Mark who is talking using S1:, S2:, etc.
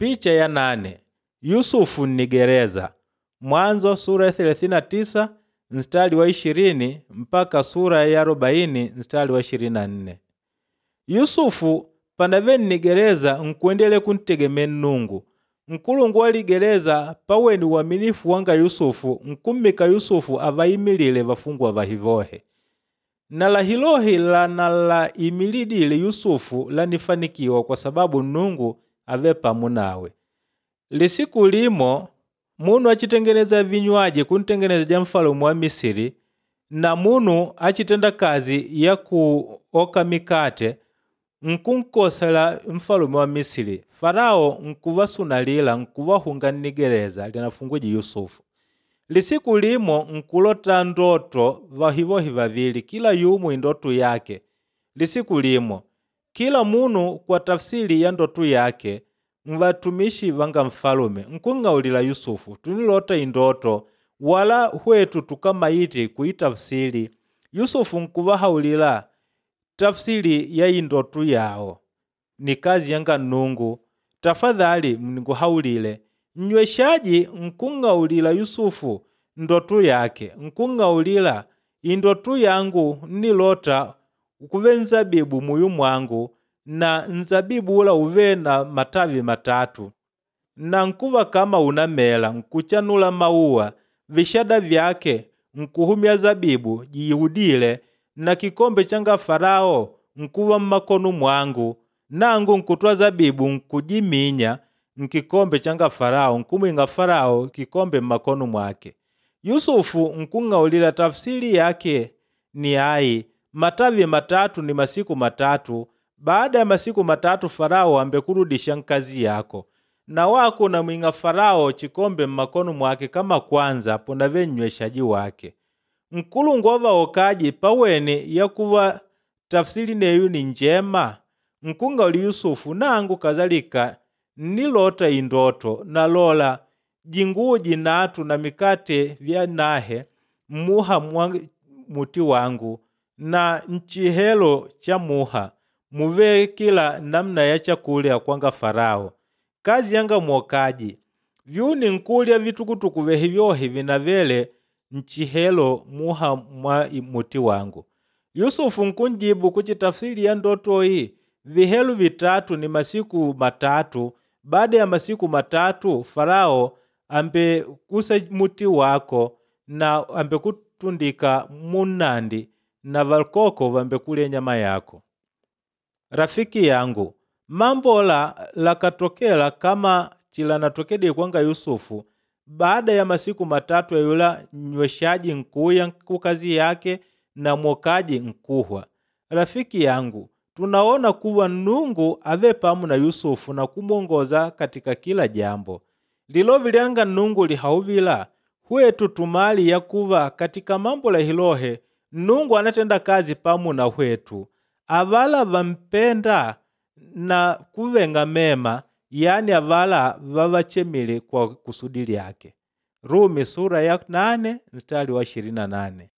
S1: Picha ya nane Yusufu nnigereza Mwanzo sura ya 39 mstari wa 20 mpaka sura ya 40 mstari wa 24. Yusufu panave nnigereza nkuendele kuntegemea Nnungu. Nkulungu wa ligereza paweni uaminifu wanga Yusufu nkummika Yusufu avaimilile vafungwa vahivohe. Na lahilohi lanalaimilidile Yusufu lanifanikiwa kwa sababu Nnungu ave pamu nawe. Lisiku limo munu achitengeneza vinywaji kuntengenezeja mfalume wa Misiri na munu achitenda kazi ya kuoka mikate nkunkosela mfalume wa Misiri. Farao nkuvasunalila nkuvahunga nnigereza linafungwije Yusufu. Lisiku limo nkulota ndoto vahivohi vavili kila yumu indoto yake. Lisiku limo kila munu kwa tafsiri ya ndoto yake mvatumishi vanga mfalume nkung'aulila Yusufu tunilota indoto wala hwetu tukamaiti kuitafsiri. Yusufu nkuvahaulila tafsiri ya indoto yawo ni kazi yanga Nnungu. Tafadhali mnikuhaulile. Nnyweshaji nkung'aulila Yusufu ndoto yake nkung'aulila indoto yangu nnilota kuve nzabibu muyu mwangu na nzabibu ula uve na matavi matatu na nkuva kama unamela nkuchanula mauwa vishada vyake nkuhumya zabibu jiudile na kikombe changa Farao nkuva mmakonu mwangu nangu nkutwa zabibu nkujiminya nkikombe changa Farao nkumwinga Farao kikombe mmakonu mwake. Yusufu nkung'aulila tafsiri yake ni ayi matavi matatu ni masiku matatu baada ya masiku matatu Farao ambekurudisha nkazi yako na wako namwing'a Farao chikombe mmakono mwake kama kwanza ponave nyweshaji wake. Nkulungu wa vaokaji paweni yakuva tafsiri neyu ni njema nkung'auli Yusufu nangu kazalika nnilota indoto nalola jinguwo jinatu na mikate vya nahe mmuha mwa muti wangu na nchihelo cha muha muve kila namna ya chakulya kwanga Farao. Kazi yanga mwokaji vyuni nkulya vitukutuku vehivyohi vinavele nchihelo muha mwa muti wangu. Yusufu nkunjibu kuchi tafsiri ya ndotoyi vihelu vitatu ni masiku matatu. Baada ya masiku matatu Farao ambekusa muti wako na ambekutundika munnandi na valkoko vambekulya nyama yako. Rafiki yangu mambola lakatokela kama chilanatokede kwanga Yusufu. Baada ya masiku matatu yula nyweshaji nkuya kukazi yake na mwokaji nkuhwa. Rafiki yangu tunaona kuwa Nnungu ave pamu na Yusufu na kumwongoza katika kila jambo. Lilovi lyanga Nnungu lihauvila hwetu tumali yakuva katika mambo lahilohe Nnungu anatenda kazi pamu na hwetu. Avala vampenda na kuvenga mema yani avala vavachemile kwa kusudi lyake. Rumi sura ya 8 mstari wa 28.